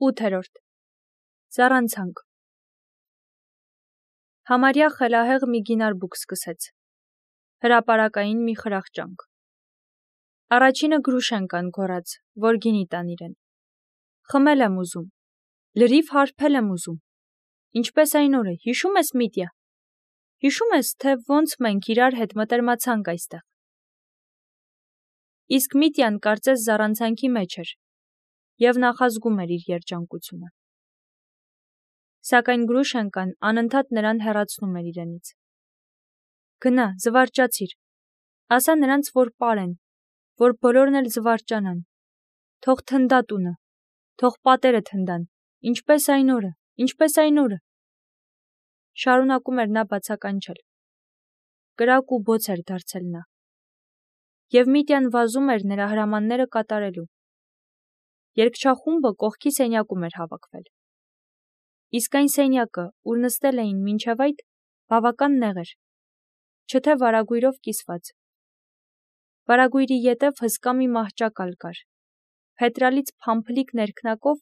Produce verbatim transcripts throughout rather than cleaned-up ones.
ութերորդ. Զառանցանք։ Համարյա խելահեղ մի գինարբուք սկսեց։ Հրապարակային մի խրախճանք։ Առաջինը Գրուշենկան գոռաց, որ գինի տան իրեն։ Խմել եմ ուզում, լրիվ հարբել եմ ուզում։ Ինչպես այն օրը, հիշում ես, Միտյա։ Հիշում ես, թե ոնց մենք իրար հետ մտերմացանք այստեղ։ Իսկ Միտյան կարծես զառանցանքի մեջ էր և նախազգում էր իր երջանկությունը։ Սակայն Գրուշենկան անընդհատ նրան հեռացնում էր իրենից։ Գնա, զվարճացիր, ասա նրանց, որ պարեն, որ բոլորն էլ զվարճանան, թող թնդա տունը, թող պատերը թնդան, ինչպես այն օրը, ինչպես այն օրը։ Շարունակում էր նա բացականչել։ Կրակ ու բոց էր դարձել նա։ Եվ Միտյան վազում էր նրա հրամանները կատարելու։ Երգչախումբը կողքի սենյակում էր հավաքվել։ Իսկ այն սենյակը, ուր նստել էին մինչև այդ, բավական նեղ էր, չթե վարագույրով կիսված։ Վարագույրի ետև հսկա մի մահճակալ կար, փետրալից փամփլիկ ներքնակով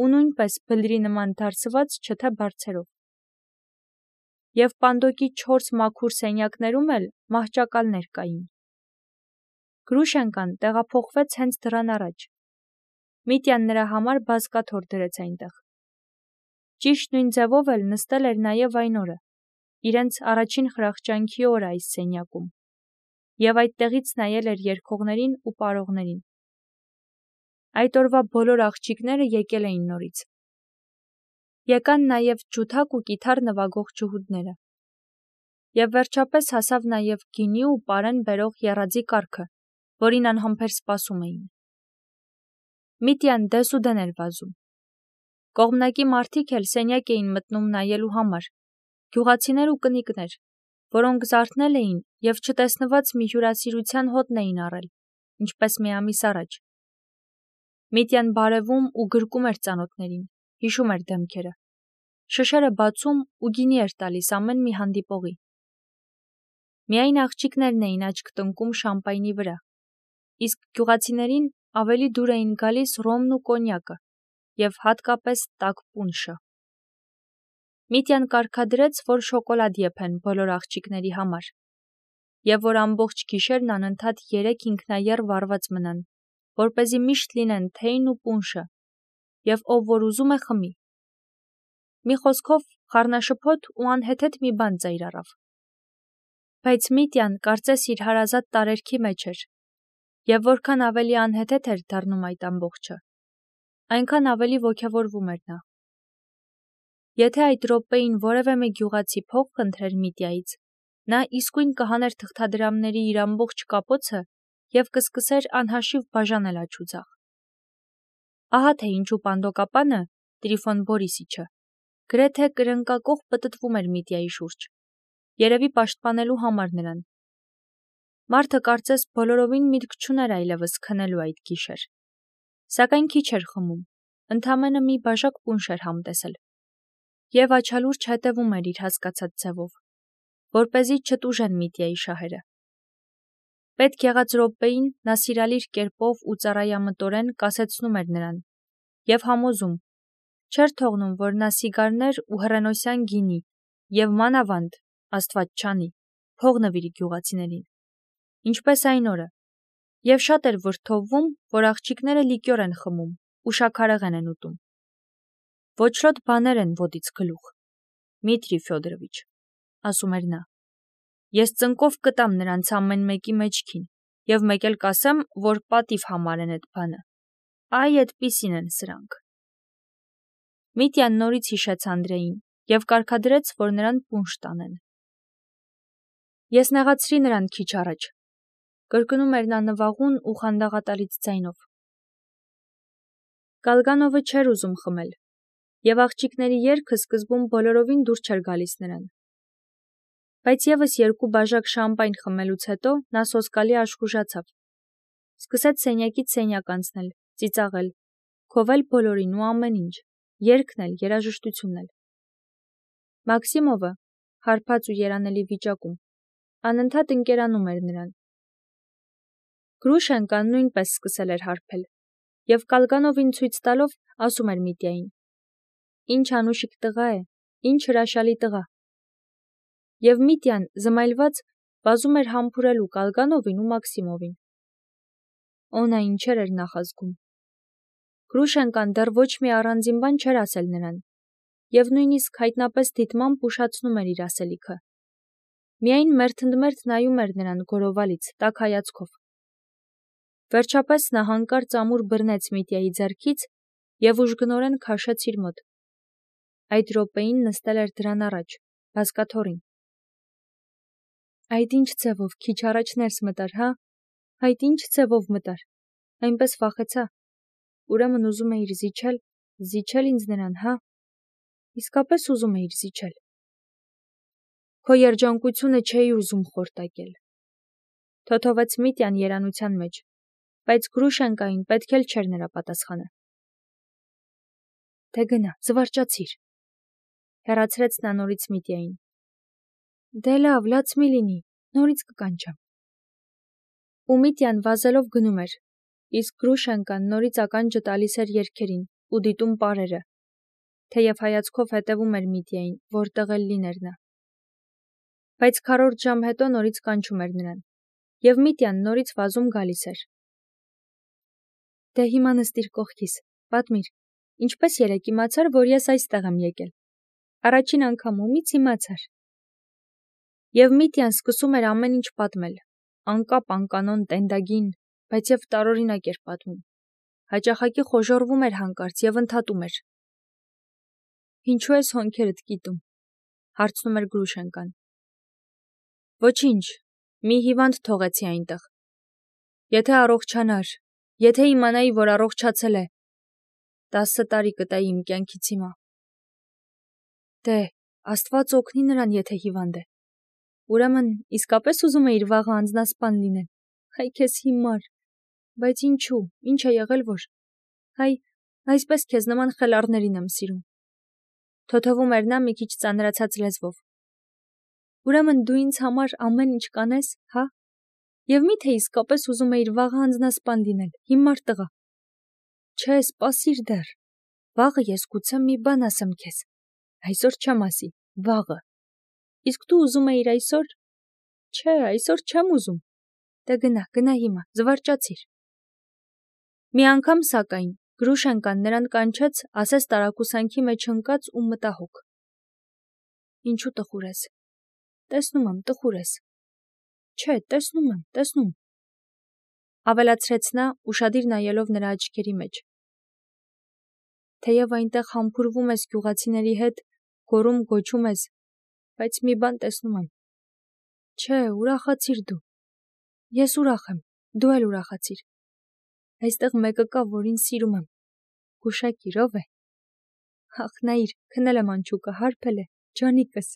ու նույնպես բլրի նման դարսված չթե բարձերով։ Եվ պանդոկի չորս մաքուր սենյակներում էլ մահճակալներ կային։ Գրուշենկան տեղափոխվեց հենց դռան առաջ։ Միտյան նրա համար բազկաթոռ դրեց այնտեղ։ Ճիշտ նույն ձևով էլ նստել էր նաև այն օրը, իրենց առաջին խրախճանքի օրը այս սենյակում, և այդտեղից նայել էր երգողներին ու պարողներին։ Այդ օրվա բոլոր աղջիկները եկել էին նորից։ Եկան նաև ջութակ ու կիթառ նվագող ջհուդները։ Եվ վերջապես հասավ նաև գինի ու պարեն բերող եռաձի կառքը, որին անհամբեր սպասում էին։ Միտյան դեսուդեն էր վազում։ Կողմնակի մարդիկ էլ սենյակ էին մտնում նայելու համար, գյուղացիներ ու կնիկներ, որոնք զարթնել էին և չտեսնված մի հյուրասիրության հոտն էին առել, ինչպես մի ամիս առաջ։ Միտյան բարևում ու գրկում էր ծանոթներին, հիշում էր դեմքերը, շշերը բացում ու գինի էր տալիս ամեն մի հանդիպողի։ Միայն աղջիկներն էին աչք տնկում շամպայնի վրա, իսկ գյուղացիներին ավելի դուր էին գալիս ռոմն ու կոնյակը և հատկապես տաք պունշը։ Միտյան կարգադրեց, որ շոկոլադ եփեն բոլոր աղջիկների համար, և որ ամբողջ գիշերն անընդհատ երեք ինքնաեռ վառված մնան, որպեսզի միշտ լինեն թեյն ու պունշը, և ով որ ուզում է խմի։ Մի խոսքով, խառնաշփոթ ու անհեթեթ մի բան ծայր առավ։ Բայց Միտյան կարծես իր հարազատ տարերքի մեջ էր, և որքան ավելի անհեթեթ էր դառնում այդ ամբողջը, այնքան ավելի ոգևորվում էր նա։ Եթե այդ րոպեին որևէ մի գյուղացի փող խնդրեր Միտյայից, նա իսկույն կհաներ թղթադրամների իր ամբողջ կապոցը և կսկսեր անհաշիվ բաժանել աջ ու ձախ։ Ահա թե ինչու պանդոկապանը, Տրիֆոն Բորիսիչը, գրեթե կրնկակոխ պտտվում էր Միտյայի շուրջ, երևի պաշտպանելու համար նրան։ Մարդը կարծես բոլորովին միտք չուներ այլևս քնելու այդ գիշեր։ Սակայն քիչ էր խմում, ընդամենը մի բաժակ պունշ էր համտեսել, և աչալուրջ հետևում էր իր հասկացած ձևով, որպեսզի չտուժեն Միտյայի շահերը։ Պետք եղած րոպեին նա սիրալիր կերպով ու ծառայամտորեն կասեցնում էր նրան և համոզում, չէր թողնում, որ նա սիգարներ ու հռենոսյան գինի և մանավանդ, Աստված չանի, փող նվիրի գյուղացիներին, ինչպես այն օրը, և շատ էր վրդովվում, որ աղջիկները լիկյոր են խմում ու շաքարեղեն են ուտում։ Ոչրոտ բաներ են ոտից գլուխ, Դմիտրի Ֆյոդորովիչ, ասում էր նա։ Ես ծնկով կտամ նրանց ամեն մեկի մեջքին և մեկ էլ կասեմ, որ պատիվ համարեն էդ բանը։ Այ էդպիսին են սրանք։ Միտյան նորից հիշեց Անդրեին և կարգադրեց, որ նրան պունշ տանեն։ Ես նեղացրի նրան քիչ առաջ, կրկնում էր նա նվաղուն ու խանդաղատալից ձայնով։ Գալգանովը չէր ուզում խմել, և աղջիկների երգը սկզբում բոլորովին դուր չէր գալիս նրան։ Բայց ևս երկու բաժակ շամպայն խմելուց հետո նա սոսկալի աշխուժացավ։ Սկսեց սենյակից սենյակ անցնել, ծիծաղել, քովել բոլորին ու ամեն ինչ, երգն էլ, երաժշտությունն էլ։ Մաքսիմովը, հարբած ու երանելի վիճակում, անընդհատ ընկերանում էր նրան։ Գրուշենկան նույնպես սկսել էր հարբել, և Կալգանովին ցույց տալով ասում էր Միտյային. «Ինչ անուշիկ տղա է, ինչ հրաշալի տղա»։ Եվ Միտյան, զմայլված, վազում էր համբուրելու Կալգանովին ու Մաքսիմովին։ Օնա ինչեր էր նախազգում։ Գրուշենկան դեռ ոչ մի առանձին բան չէր ասել նրան, և նույնիսկ հայտնապես դիտմամբ ուշացնում էր իր ասելիքը։ Միայն մերթընդմերթ նայում էր նրան գորովալից, տաք հայացքով։ Վերջապես նա հանկարծ ամուր բռնեց Միտյայի ձեռքից և ուժգնորեն քաշեց իր մոտ։ Այդ րոպեին նստել էր դրան առաջ, բազկաթոռին։ Այդ ինչ ձևով քիչ առաջ ներս մտար, հա, այդ ինչ ձևով մտար, այնպես վախեցա, ուրեմն ուզում էիր զիջել, զիջել ինձ նրան, հա, իսկապես ուզում էիր զիջել։ Քո երջանկությունը չէի ուզում խորտակել։ Թոթովեց Միտյան երանության մեջ, բայց Գրուշենկային պետք էլ չէր նրա պատասխանը։ Դե գնա, զվարճացիր, հեռացրեց նա նորից Միտյային։ Դե լավ, լաց մի լինի, նորից կկանչեմ։ Ու Միտյան վազելով գնում էր, իսկ Գրուշենկան նորից ականջը տալիս էր երգերին ու դիտում պարերը, թեև հայացքով հետևում էր Միտյային, որտեղ էլ լիներ նա։ Բայց քառորդ ժամ հետո նորից կանչում էր նրան, և Միտյան նորից վազում գալիս էր։ Դե հիմա նստիր կողքիս, պատմիր, ինչպես երեկ իմացար, որ ես այստեղ եմ եկել։ Առաջին անգամումից իմացար։ Եվ Միտյան սկսում էր ամեն ինչ պատմել, անկապ անկանոն տենդագին, բայց և տարօրինակ էր պատմում։ Հաճախակի խոժոռվում էր հանկարծ և ընդհատում էր։ Ինչու ես հոնքերդ կիտում, հարցնում էր Գրուշենկան։ Ոչինչ, մի հիվանդ թողեցի այնտեղ։ Եթե առողջանար, եթե իմանայի, որ առողջացել է, տասը տարի կտայի իմ կյանքից հիմա։ Դե, Աստված օգնի նրան, եթե հիվանդ է։ Ուրեմն, իսկապես ուզում էիր վաղը անձնասպան լինել։ Հայ քեզ հիմար, բայց ինչու, ինչ է եղել, որ։ Հայ, այսպես քեզ նման խելառներին եմ սիրում։ Թոթովում էր նա մի քիչ ծանրացած լեզվով։ Ուրեմն դու ինձ համար ամեն ինչ կանես, հա։ Եվ միթե իսկապես ուզում էիր վաղը անձնասպան լինել, հիմար տղա։ Չէ, սպասիր դեռ։ Վաղը ես գուցե մի բան ասեմ քեզ։ Այսօր չեմ ասի, վաղը։ Իսկ դու ուզում էիր այսօր։ Չէ, այսօր չեմ ուզում։ Դե գնա, գնա հիմա, զվարճացիր։ Մի անգամ, սակայն, Գրուշենկան նրան կանչեց, ասես տարակուսանքի մեջ ընկած ու մտահոգ։ Ինչու տխուր ես։ Տեսնում եմ, տխուր ես։ Չէ, տեսնում եմ, տեսնում։ Ավելացրեց նա, ուշադիր նայելով նրա աչքերի մեջ։ Թեև այնտեղ համբուրվում ես գյուղացիների հետ, գոռում գոչում ես, բայց մի բան տեսնում եմ։ Չէ, ուրախացիր դու։ Ես ուրախ եմ, դու էլ ուրախացիր։ Այստեղ մեկը կա, որին սիրում եմ։ Գուշակիր, ով է։ Ախ, նայիր, քնել եմ անչուկը, հարբել է, ջանիկս։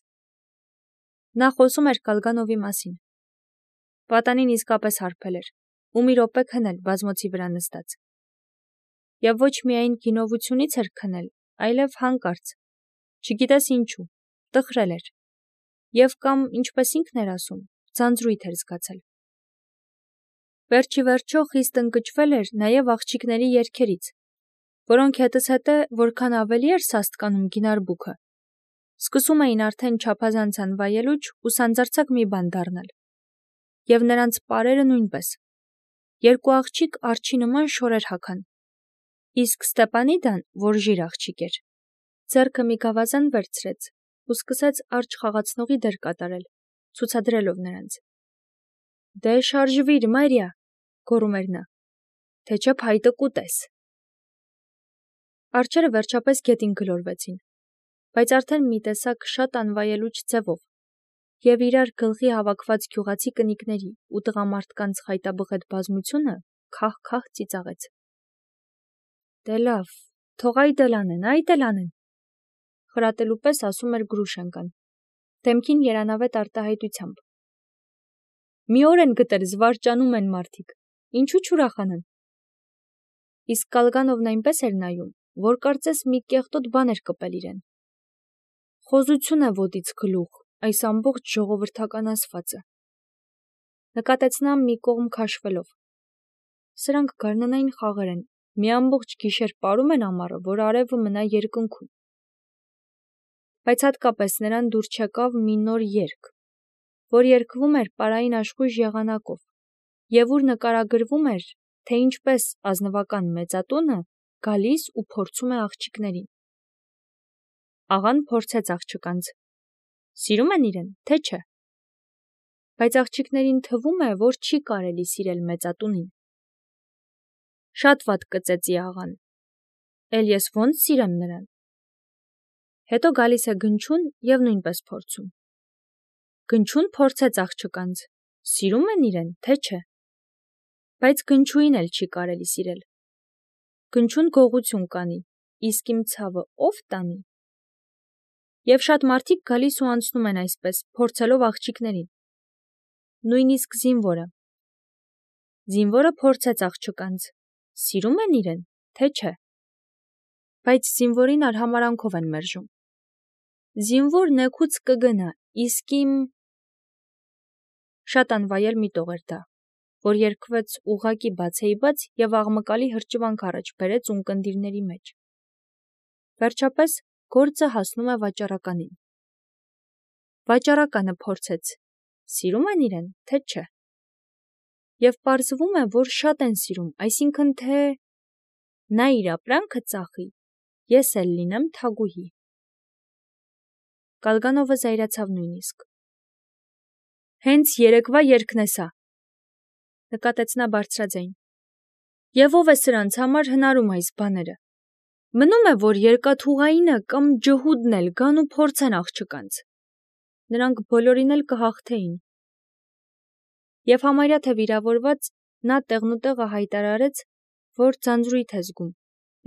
Նա խոսում էր Կալգանովի մասին։ Պատանին իսկապես հարբել էր, ու մի րոպե քնել բազմոցի վրա նստած։ Եվ ոչ միայն գինովությունից էր քնել, այլև հանկարծ, չգիտես ինչու, տխրել էր, և կամ, ինչպես ինքն էր ասում, ձանձրույթ էր զգացել։ Վերջի վերջո խիստ ընկճվել էր նաև աղջիկների երգերից, որոնք հետզհետե որքան ավելի էր սաստկանում գինարբուքը, սկսում էին արդեն չափազանց անվայելուչ ու սանձարձակ մի բան դառնալ։ Եվ նրանց պարերը նույնպես։ Երկու աղջիկ արջի նման շորեր հագան։ Իսկ Ստեպանիդան, որ ժիր աղջիկ էր, ձեռքը մի գավազան վերցրեց ու սկսեց արջ խաղացնողի դեր կատարել, ցուցադրելով նրանց։ Դե շարժվիր, Մարիա, գոռում էր նա, թե չէ փայտը կուտես։ Արջերը վերջապես գետին գլորվեցին, բայց արդեն մի տեսակ շատ անվայելուչ ձևով, և իրար գլխի հավաքված գյուղացի կնիկների ու տղամարդկանց խայտաբղետ բազմությունը քահ-քահ ծիծաղեց։ Դե լավ, թող այդ էլ անեն, այդ էլ անեն, խրատելու պես ասում էր Գրուշենկան, դեմքին երանավետ արտահայտությամբ։ Մի օր են գտել, զվարճանում են մարդիկ, ինչու չուրախանան։ Իսկ Կալգանովն այնպես էր նայում, որ կարծես մի կեղտոտ բան էր կպել իրեն։ Խոզություն է ոտից գլուխ, այս ամբողջ ժողովրդական ասվածը։ Նկատեց նա մի կողմ քաշվելով։ Սրանք գարնանային խաղեր են, Մի ամբողջ գիշեր պարում են ամառը, որ արևը մնա երկնքում։ Բայց հատկապես նրան դուր չեկավ մի նոր երգ, որ երգվում էր պարային աշխույժ եղանակով, եւ ուր նկարագրվում էր, թե ինչպես ազնվական մեծատունը գալիս ու փորձում է աղջիկներին։ Աղան փորձեց աղջկանց. Սիրում են իրեն, թե չէ։ Բայց աղջիկներին թվում է, որ չի կարելի սիրել մեծատունին։ Շատ վատ կծեցի աղան։ Էլ ես ոնց սիրեմ նրան։ Հետո գալիս է Գնչուն եւ նույնպես փորձում։ Գնչուն փորձեց աղջկանց. Սիրում են իրեն, թե չէ։ Բայց Գնչուին էլ չի կարելի սիրել։ Գնչուն գողություն կանի, իսկ իմ ցավը ով տանի։ Եվ շատ մարդիկ գալիս ու անցնում են այսպես, փորձելով աղջիկներին։ Նույնիսկ զինվորը։ Զինվորը փորձեց աղջկանց. Սիրում են իրեն, թե չէ։ Բայց զինվորին արհամարանքով են մերժում։ Զինվոր նեքուց կգնա, իսկ իմ շատ անվայել մի տող էր դա, որ երգվեց ուղակի բացեի բաց եւ աղմկալի հրճվանք առաջ բերեց ունկնդիրների մեջ։ Վերջապես գործը հասնում է վաճառականին։ Վաճառականը փորձեց. Սիրում են իրեն, թե չէ։ Եվ պարզվում է, որ շատ են սիրում, այսինքն թե նա իր ապրանքը ծախի, ես էլ լինեմ թագուհի։ Գալգանովը զայրացավ նույնիսկ։ Հենց երեկվա երգն է սա, նկատեց նա բարձրաձայն։ Եվ ով է սրանց համար հնարում այս բաները։ Մնում է, որ երկաթուղայինը կամ ջհուդն էլ գան ու փորձեն աղջկանց։ Նրանք բոլորին էլ կհաղթեին։ Եվ համարյա թե վիրավորված նա տեղնուտեղը հայտարարեց, որ ձանձրույթ է զգում,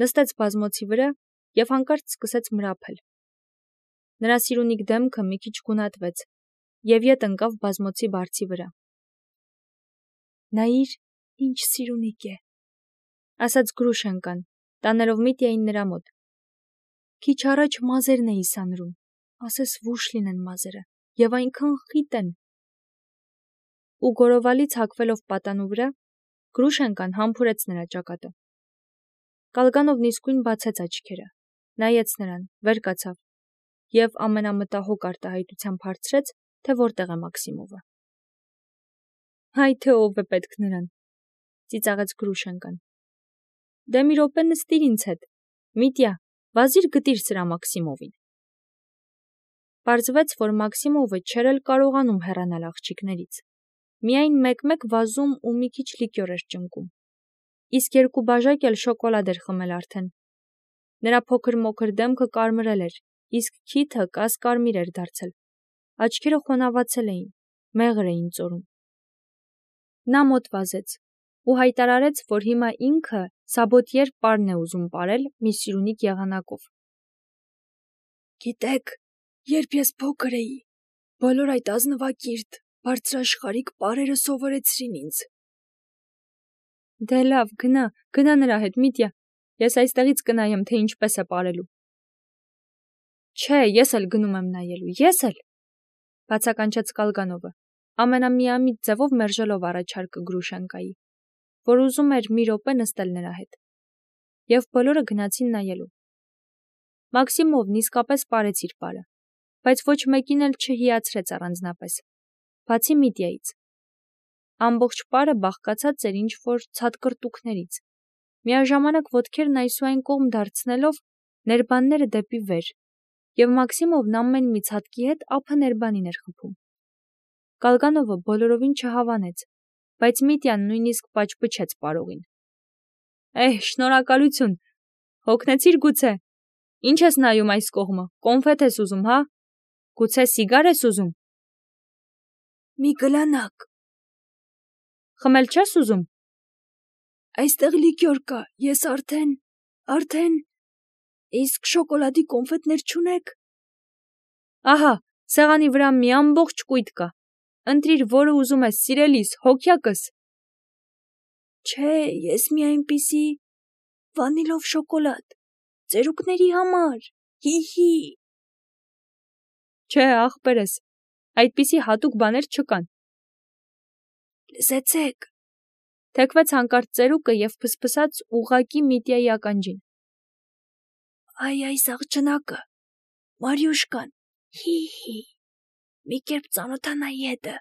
նստեց բազմոցի վրա եւ հանկարծ սկսեց մրափել։ Նրա սիրունիկ դեմքը մի քիչ գունատվեց եւ ետ ընկավ բազմոցի բարձի վրա։ Նայիր, ինչ սիրունիկ է, ասաց Գրուշենկան, տանելով Միտյային նրա մոտ։ Քիչ առաջ մազերն էի սանրում, ասես վուշ լինեն մազերը, եւ այնքան խիտ են։ Ու գորովալից հագվելով պատանու վրա, Գրուշենկան համբուրեց նրա ճակատը։ Գալգանովն իսկույն բացեց աչքերը, նայեց նրան, վեր կացավ եւ ամենամտահոգ արտահայտությամբ հարցրեց, թե որտեղ է Մաքսիմովը։ Հայ թե ով է պետք նրան, ծիծաղեց Գրուշենկան։ Դե մի րոպե նստիր ինձ հետ, Միտյա, վազիր գտիր սրա Մաքսիմովին։ Պարզվեց, որ Մաքսիմովը չէր էլ կարողանում հեռանալ աղջիկներից։ Միայն մեկ-մեկ վազում ու մի քիչ լիկյոր էր ճնկում։ Իսկ երկու բաժակ էլ շոկոլադ էր խմել արդեն։ Նրա փոքր մոքր դեմքը կարմրել էր, իսկ քիթը կասկարմիր էր դարձել։ Աչքերը խոնավացել էին, մեղր էին ծորում։ Նա մոտ վազեց ու հայտարարեց, որ հիմա ինքը Սաբոտիեր պարն է ուզում ապրել մի սիրունիկ եղանակով։ Գիտեք, երբ ես փոքր էի, բոլոր այդ ազնվակիրթ, բարձրաշխարհիկ պարերը սովորեցրին ինձ։ Դե լավ, գնա, գնա նրա հետ, Միտյա, ես այստեղից կնայեմ, թե ինչպես է ապրելու։ Չէ, ես էլ գնում եմ նայելու, ես էլ, բացականչեց Գալգանովը, ամենամիամիտ ձևով մերժելով առաջարկը Գրուշենկայի, որ ուզում էր մի րոպե նստել նրա հետ։ Եվ բոլորը գնացին նայելու։ Մաքսիմովն իսկապես պարեց իր պարը, բայց ոչ մեկին էլ չհիացրեց առանձնապես, բացի Միտյայից։ Ամբողջ պարը բաղկացած էր ինչ-որ ցատկրտուկներից, միաժամանակ ոտքերն այսուայն կողմ դարձնելով ներբանները դեպի վեր, եւ Մաքսիմովն ամեն մի ցատկի հետ ափը ներբանին էր խփում։ Գալգանովը բոլորովին չհավանեց, բայց Միտյան նույնիսկ պաճպճեց պարողին։ Էհ, շնորհակալություն, հոգնեցիր գուցե։ Ինչ ես նայում այս կողմը, կոնֆետ ես ուզում, հա։ Գուցե սիգար ես ուզում։ Մի գլանակ։ Խմել չես ուզում։ Այստեղ լիկյոր կա, ես արդեն, արդեն, իսկ շոկոլադի կոնֆետներ չունեք։ Ահա, սեղանի վրա մի ամբողջ կույտ կա։ Ընտրիր, որը ուզում ես, սիրելիս, հոգյակս։ Չէ, ես մի այնպիսի վանիլով շոկոլադ, ծերուկների համար, հի-հի։ Չէ, ախպերս, այդպիսի հատուկ բաներ չկան։ Լսեցեք, Թեքվեց հանկարծ ծերուկը և փսփսաց ուղղակի Միտյայի ականջին. Այ այս աղջնակը, Մարյուշկան, հի-հի, մի կերպ ծանոթանայի հետը,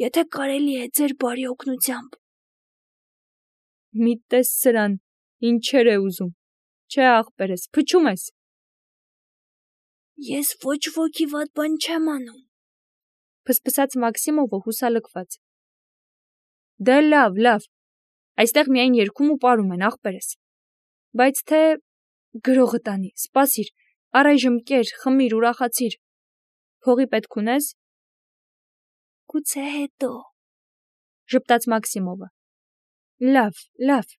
եթե կարելի է ձեր բարի օգնությամբ։ Մի տես սրան, ինչեր է ուզում, չէ ախպերս, փչում ես։ Ես ոչ ոքի վատ բան չեմ անում, փսփսաց Մաքսիմովը հուսալքված։ Դե լավ, լավ, այստեղ միայն երգում ու պարում են, ախպերս։ Բայց թե գրողը տանի, սպասիր, առայժմ կեր, խմիր, ուրախացիր։ Փողի պետք ունես։ Գուցե հետո, ժպտաց Մաքսիմովը։ Լավ, լավ,